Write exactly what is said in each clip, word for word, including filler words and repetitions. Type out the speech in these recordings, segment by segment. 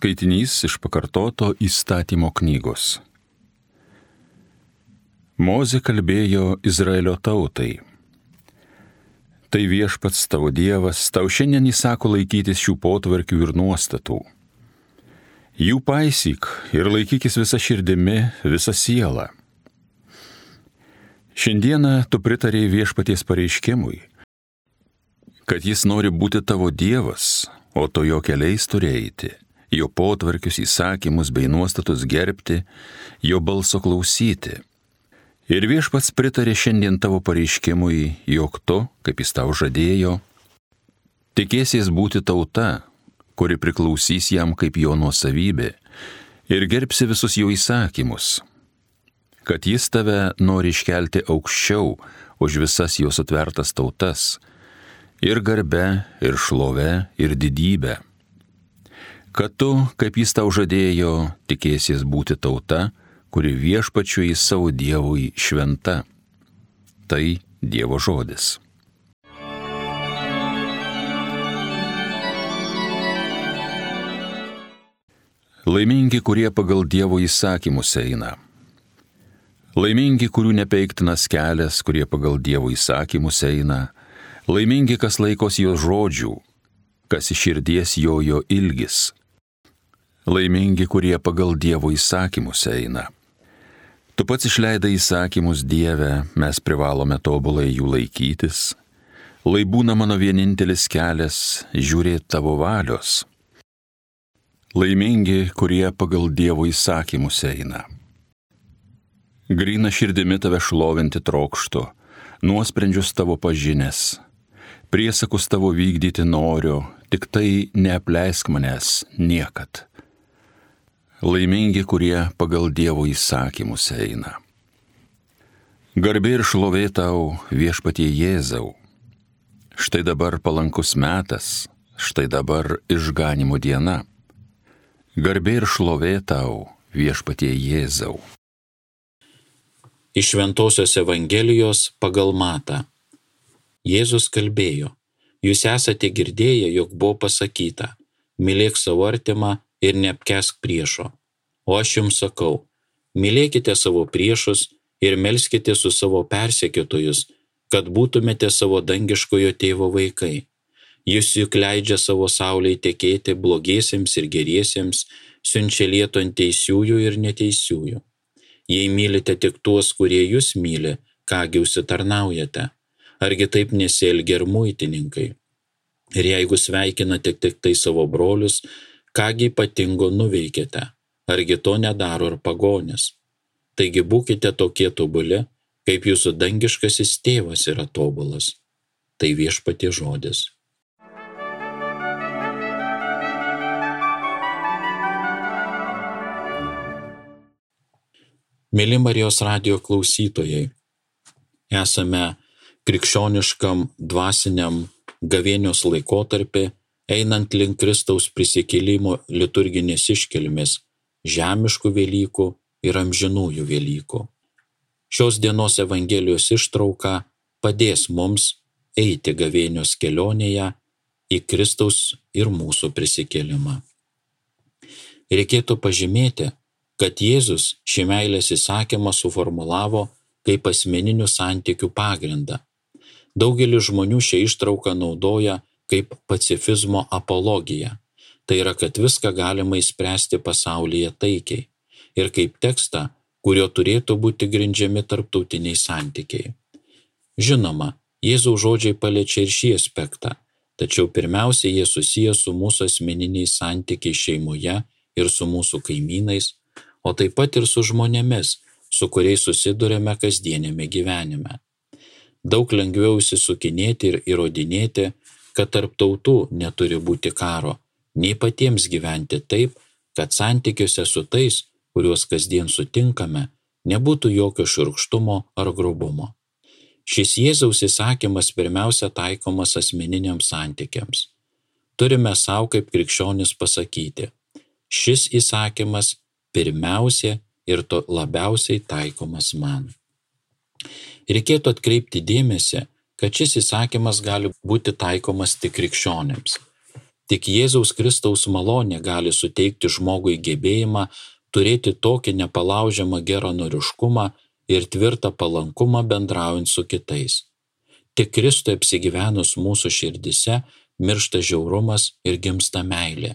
Skaitinys iš pakartoto įstatymo knygos. Mozė kalbėjo Izraelio tautai. Tai viešpats tavo Dievas, tau šiandien įsako laikytis šių potvarkių ir nuostatų. Jų paisyk ir laikykis visą širdimi, visą sielą. Šiandieną tu pritarėjai viešpaties pareiškimui, kad jis nori būti tavo Dievas, o to jo keliais turi eiti, jo potvarkius, įsakymus bei nuostatus gerbti, jo balso klausyti. Ir viešpats pritarė šiandien tavo pareiškimui, jog tu, kaip jis tau žadėjo, tikėsies būti tauta, kuri priklausys jam kaip jo nuosavybė, ir gerbsi visus jo įsakymus, kad jis tave nori iškelti aukščiau už visas jo sutvertas tautas, ir garbe, ir šlove, ir didybę. Kad tu, kaip jis tau žadėjo, tikėsies būti tauta, kuri viešpačiui savo Dievui šventa. Tai Dievo žodis. Laimingi, kurie pagal Dievo įsakymus eina. Laimingi, kurių nepeiktinas kelias, kurie pagal Dievo įsakymus eina. Laimingi, kas laikosi jo žodžių, kas iš širdies jojo ilgis. Laimingi, kurie pagal Dievo įsakymus eina. Tu pats išleidai įsakymus, Dieve, mes privalome tobulai jų laikytis. Lai būna mano vienintelis kelias žiūrėti tavo valios. Laimingi, kurie pagal Dievo įsakymus eina. Gryna širdimi tave šlovinti trokštu, nuosprendžius tavo pažinęs. Priesakus tavo vykdyti noriu, tik tai neapleisk manęs niekad. Laimingi, kurie pagal Dievo įsakymus eina. Garbė ir šlovė tau, viešpatie Jėzau. Štai dabar palankus metas, štai dabar išganimo diena. Garbė ir šlovė tau, viešpatie Jėzau. Iš Šventosios Evangelijos pagal Matą. Jėzus kalbėjo, jūs esate girdėję, jog buvo pasakyta, mylėk savo artimą ir neapkęsk priešo. O aš jums sakau, mylėkite savo priešus ir melskite su savo persekiotojus, kad būtumėte savo dangiškojo tėvo vaikai. Jis juk leidžia savo saulei tekėti blogiesiems ir geriesiems, siunčia lietų ant teisiųjų ir neteisiųjų. Jei mylite tik tuos, kurie jūs myli, kągi užsitarnaujate? Argi taip nesielgia ir muitininkai? Ir jeigu sveikinate tik tai savo brolius, kągi ypatingo nuveikėte? Argi to nedaro ir pagonis? Taigi būkite tokie tobuli, kaip jūsų dangiškasis tėvas yra tobulas. Tai viešpatie žodis. Mėly Marijos radijo klausytojai, esame krikščioniškam dvasiniam gavėnios laikotarpį, einant link Kristaus prisikėlimo liturginės iškilmės, žemiškų Velykų ir amžinųjų Velykų. Šios dienos Evangelijos ištrauka padės mums eiti gavėnios kelionėje į Kristaus ir mūsų prisikėlimą. Reikėtų pažymėti, kad Jėzus šį meilės įsakymą suformulavo kaip asmeninių santykių pagrindą. Daugelis žmonių šią ištrauką naudoja kaip pacifizmo apologiją. Tai yra, kad viską galima išspręsti pasaulyje taikiai ir kaip tekstą, kurio turėtų būti grindžiami tarptautiniai santykiai. Žinoma, Jėzaus žodžiai paliečia ir šį aspektą, tačiau pirmiausia jie susiję su mūsų asmeniniais santykiais šeimoje ir su mūsų kaimynais, o taip pat ir su žmonėmis, su kuriais susiduriame kasdienėme gyvenime. Daug lengviau įsisukinėti ir įrodinėti, kad tarp tautų neturi būti karo, nei patiems gyventi taip, kad santykiuose su tais, kuriuos kasdien sutinkame, nebūtų jokio šiurkštumo ar grubumo. Šis Jėzaus įsakymas pirmiausia taikomas asmeniniams santykiams. Turime savo kaip krikščionis pasakyti, šis įsakymas pirmiausia ir to labiausiai taikomas man. Reikėtų atkreipti dėmesį, kad šis įsakymas gali būti taikomas tik krikščionėms. Tik Jėzaus Kristaus malonė gali suteikti žmogui gebėjimą turėti tokį nepalaužiamą geranoriškumą ir tvirtą palankumą bendraujant su kitais. Tik Kristui apsigyvenus mūsų širdise miršta žiaurumas ir gimsta meilė.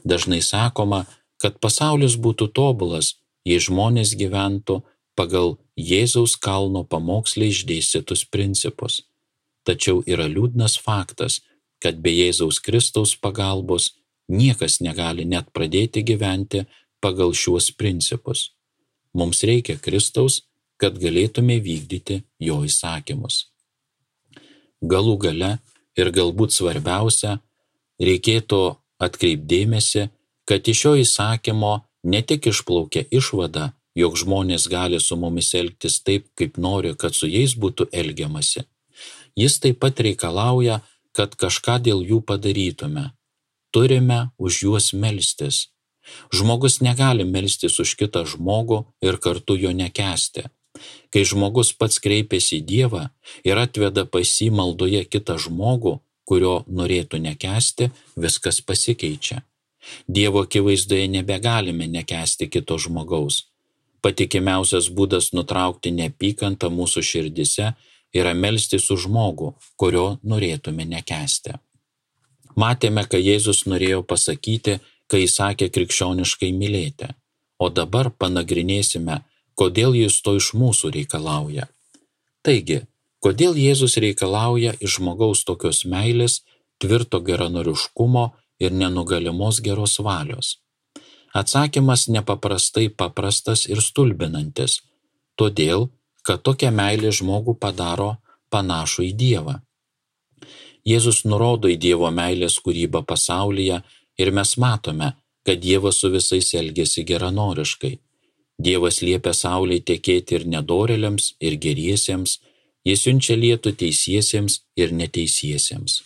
Dažnai sakoma, kad pasaulis būtų tobulas, jei žmonės gyventų pagal Jėzaus kalno pamoksle išdėstytus principus. Tačiau yra liūdnas faktas, kad be Jėzaus Kristaus pagalbos niekas negali net pradėti gyventi pagal šiuos principus. Mums reikia Kristaus, kad galėtume vykdyti jo įsakymus. Galų gale ir galbūt svarbiausia, reikėtų atkreipdėmėsi, kad iš šio įsakymo ne tik išplaukia išvada, jog žmonės gali su mumis elgtis taip, kaip nori, kad su jais būtų elgiamasi. Jis taip pat reikalauja, kad kažką dėl jų padarytume. Turime už juos melstis. Žmogus negali melstis už kitą žmogų ir kartu jo nekęsti. Kai žmogus pats kreipiasi į Dievą ir atveda pas jį maldoje kitą žmogų, kurio norėtų nekęsti, viskas pasikeičia. Dievo akivaizdoje nebegalime nekęsti kito žmogaus. Patikimiausias būdas nutraukti neapykantą mūsų širdise yra melstis už žmogų, kurio norėtume nekęsti. Matėme, ką Jėzus norėjo pasakyti, kai sakė krikščioniškai mylėti, o dabar panagrinėsime, kodėl jis to iš mūsų reikalauja. Taigi, kodėl Jėzus reikalauja iš žmogaus tokios meilės, tvirto geranoriškumo ir nenugalimos geros valios? Atsakymas nepaprastai paprastas ir stulbinantis, todėl, kad tokia meilė žmogų padaro panašų į Dievą. Jėzus nurodo į Dievo meilės kūrybą pasaulyje ir mes matome, kad Dievas su visais elgiasi geranoriškai. Dievas liepia saulei tekėti ir nedorėliams, ir geriesiems, jis siunčia lietų teisiesiems ir neteisiesiems.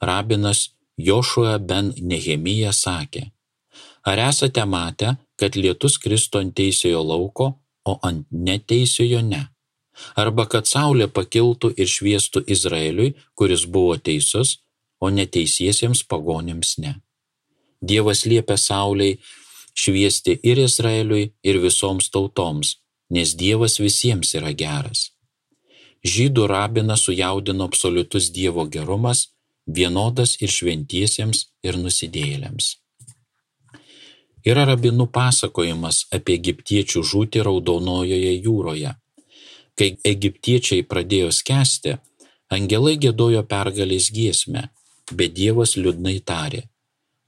Rabinas Jošua ben Nehemija sakė: Ar esate matę, kad lietus kristų ant teisiojo lauko, o ant neteisiojo ne? Arba kad saulė pakiltų ir šviestų Izraeliui, kuris buvo teisus, o neteisiesiems pagonims ne. Dievas liepia saulei šviesti ir Izraeliui, ir visoms tautoms, nes Dievas visiems yra geras. Žydų rabiną sujaudino absoliutus Dievo gerumas, vienodas ir šventiesiems, ir nusidėjėliams. Yra rabinų pasakojimas apie egiptiečių žūtį Raudonojoje jūroje. Kai egiptiečiai pradėjo skęsti, angelai giedojo pergalės giesmę, bet Dievas liūdnai tarė: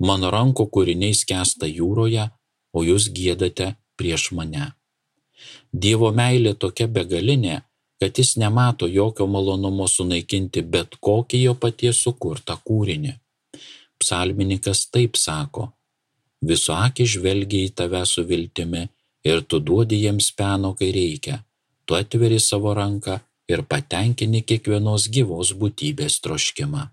Mano rankų kūriniai skęsta jūroje, o jūs giedate prieš mane. Dievo meilė tokia begalinė, kad jis nemato jokio malonumo sunaikinti bet kokį jo paties sukurtą kūrinį. Psalmininkas taip sako: Visų akys žvelgia į tave su viltimi ir tu duodi jiems peno, kai reikia. Tu atveri savo ranką ir patenkini kiekvienos gyvos būtybės troškimą.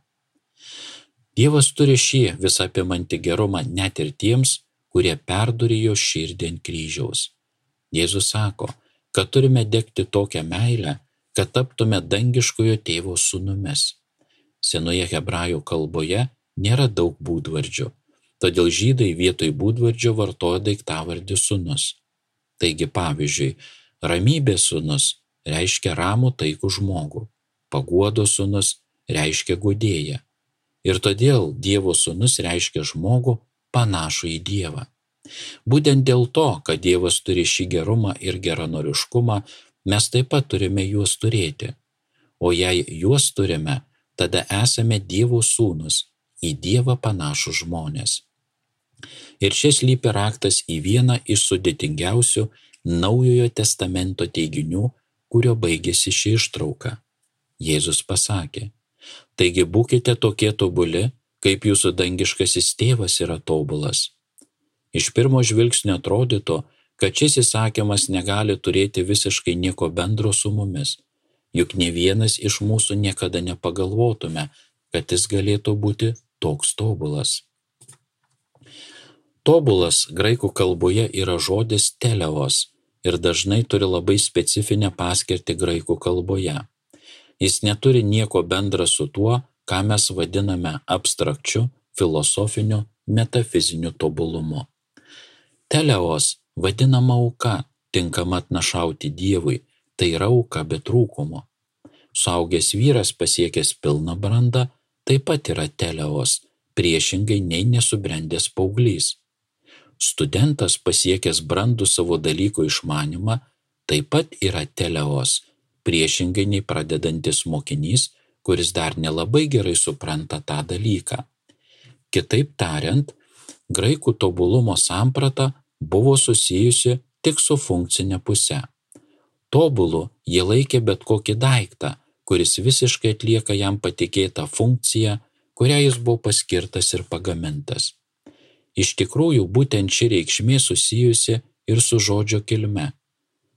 Dievas turi šį visapimantį gerumą net ir tiems, kurie perdūrė jo širdį ant kryžiaus. Jėzus sako, kad turime degti tokią meilę, kad taptume dangiškojo tėvo sūnumis. Senoje hebrajų kalboje nėra daug būdvardžių, todėl žydai vietoj būdvardžio vartoja daiktavardį sūnus. Taigi, pavyzdžiui, ramybės sūnus reiškia ramų taikų žmogų, paguodos sūnus reiškia guodėją. Ir todėl Dievo sūnus reiškia žmogų panašų į Dievą. Būtent dėl to, kad Dievas turi šį gerumą ir geranoriškumą, mes taip pat turime juos turėti. O jei juos turime, tada esame Dievo sūnus, į Dievą panašų žmonės. Ir šis slypi raktas į vieną iš sudėtingiausių Naujojo testamento teiginių, kurio baigėsi ši ištrauka. Jėzus pasakė: Taigi būkite tokie tobuli, kaip jūsų dangiškasis tėvas yra tobulas. Iš pirmo žvilgsnio atrodytų, kad šis įsakymas negali turėti visiškai nieko bendro su mumis, juk ne vienas iš mūsų niekada nepagalvotume, kad jis galėtų būti toks tobulas. Tobulas graikų kalboje yra žodis teleos ir dažnai turi labai specifinę paskirtį graikų kalboje. Jis neturi nieko bendra su tuo, ką mes vadiname abstrakčiu, filosofiniu, metafiziniu tobulumu. Teleos vadinama auka, tinkama atnašauti Dievui, tai yra auka be trūkumo. Suaugęs vyras pasiekęs pilną brandą taip pat yra teleos, priešingai nei nesubrendęs paauglys. Studentas pasiekęs brandų savo dalyko išmanymą taip pat yra teleos, priešingai nei pradedantis mokinys, kuris dar nelabai gerai supranta tą dalyką. Kitaip tariant, graikų tobulumo samprata buvo susijusi tik su funkcinė puse. Tobulu jie laikė bet kokį daiktą, kuris visiškai atlieka jam patikėtą funkciją, kurią jis buvo paskirtas ir pagamintas. Iš tikrųjų, būtent ši reikšmė susijusi ir su žodžio kilme.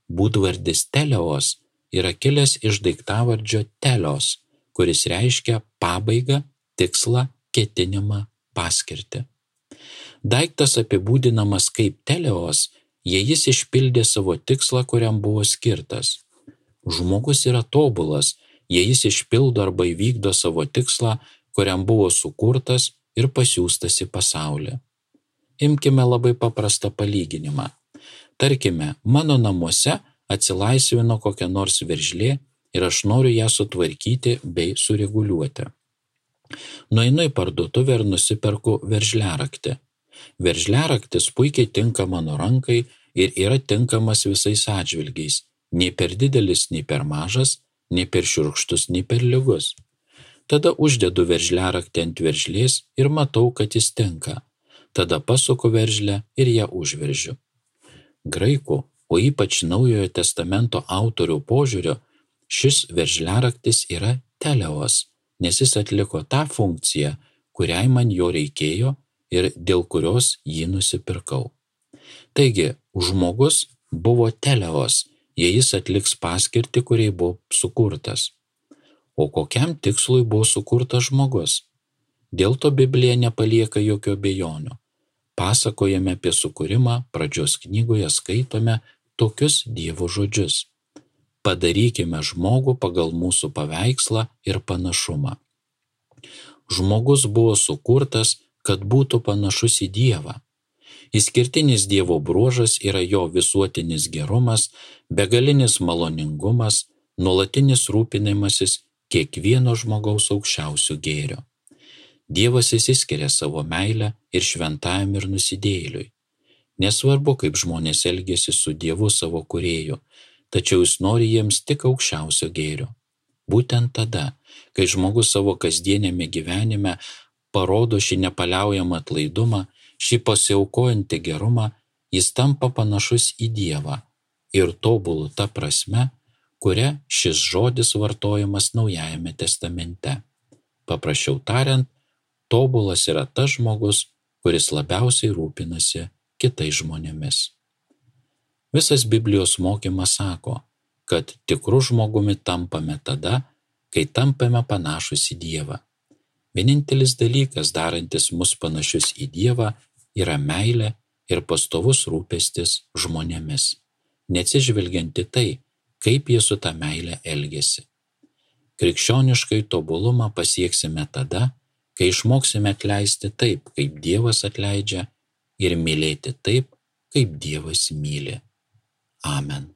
Būdvardis teleos yra kilęs iš daiktavardžio telios, kuris reiškia pabaigą, tikslą, ketinimą, paskirtį. Daiktas apibūdinamas kaip teleos, jei jis išpildė savo tikslą, kuriam buvo skirtas. Žmogus yra tobulas, jei jis išpildo arba įvykdo savo tikslą, kuriam buvo sukurtas ir pasiųstas į pasaulį. Imkime labai paprastą palyginimą. Tarkime, mano namuose atsilaisvino kokia nors veržlė ir aš noriu ją sutvarkyti bei sureguliuoti. Nueinu į parduotuvę ir nusiperku veržliaraktį. Veržliaraktis puikiai tinka mano rankai ir yra tinkamas visais atžvilgiais, nei per didelis, nei per mažas, nei per šiurkštus, nei per lygus. Tada uždedu veržliaraktį ant veržlės ir matau, kad jis tinka. Tada pasuku veržlę ir ją užveržiu. Graikų, o ypač Naujojo testamento autorių požiūrio, šis veržliaraktis yra teleos, nes jis atliko tą funkciją, kuriai man jo reikėjo ir dėl kurios jį nusipirkau. Taigi, žmogus buvo teleos, jei jis atliks paskirtį, kuriai buvo sukurtas. O kokiam tikslui buvo sukurtas žmogus? Dėl to Biblija nepalieka jokių abejonių. Pasakojame apie sukūrimą, pradžios knygoje skaitome tokius Dievo žodžius. Padarykime žmogų pagal mūsų paveikslą ir panašumą. Žmogus buvo sukurtas, kad būtų panašus į Dievą. Išskirtinis Dievo bruožas yra jo visuotinis gerumas, begalinis maloningumas, nuolatinis rūpinimasis kiekvieno žmogaus aukščiausių gėrio. Dievas išsiskiria savo meilę ir šventajam ir nusidėjėliui. Nesvarbu, kaip žmonės elgiasi su Dievu savo kūrėju, tačiau jis nori jiems tik aukščiausio gėrio. Būtent tada, kai žmogus savo kasdienėme gyvenime parodo šį nepaliaujamą atlaidumą, šį pasiaukojantį gerumą, jis tampa panašus į Dievą ir tobulų ta prasme, kuria šis žodis vartojamas Naujajame testamente. Paprasčiau tariant, tobulas yra tas žmogus, kuris labiausiai rūpinasi kitais žmonėmis. Visas Biblijos mokymas sako, kad tikru žmogumi tampame tada, kai tampame panašus į Dievą. Vienintelis dalykas, darantis mus panašius į Dievą, yra meilė ir pastovus rūpestis žmonėmis, neatsižvelgiant į tai, kaip jie su ta meilė elgiasi. Krikščioniškai tobulumą pasieksime tada, kai išmoksime atleisti taip, kaip Dievas atleidžia, ir mylėti taip, kaip Dievas myli. Amen.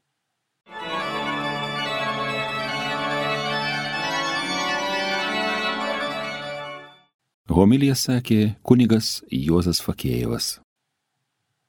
Homiliją sakė kunigas Juozas Fakėjevas.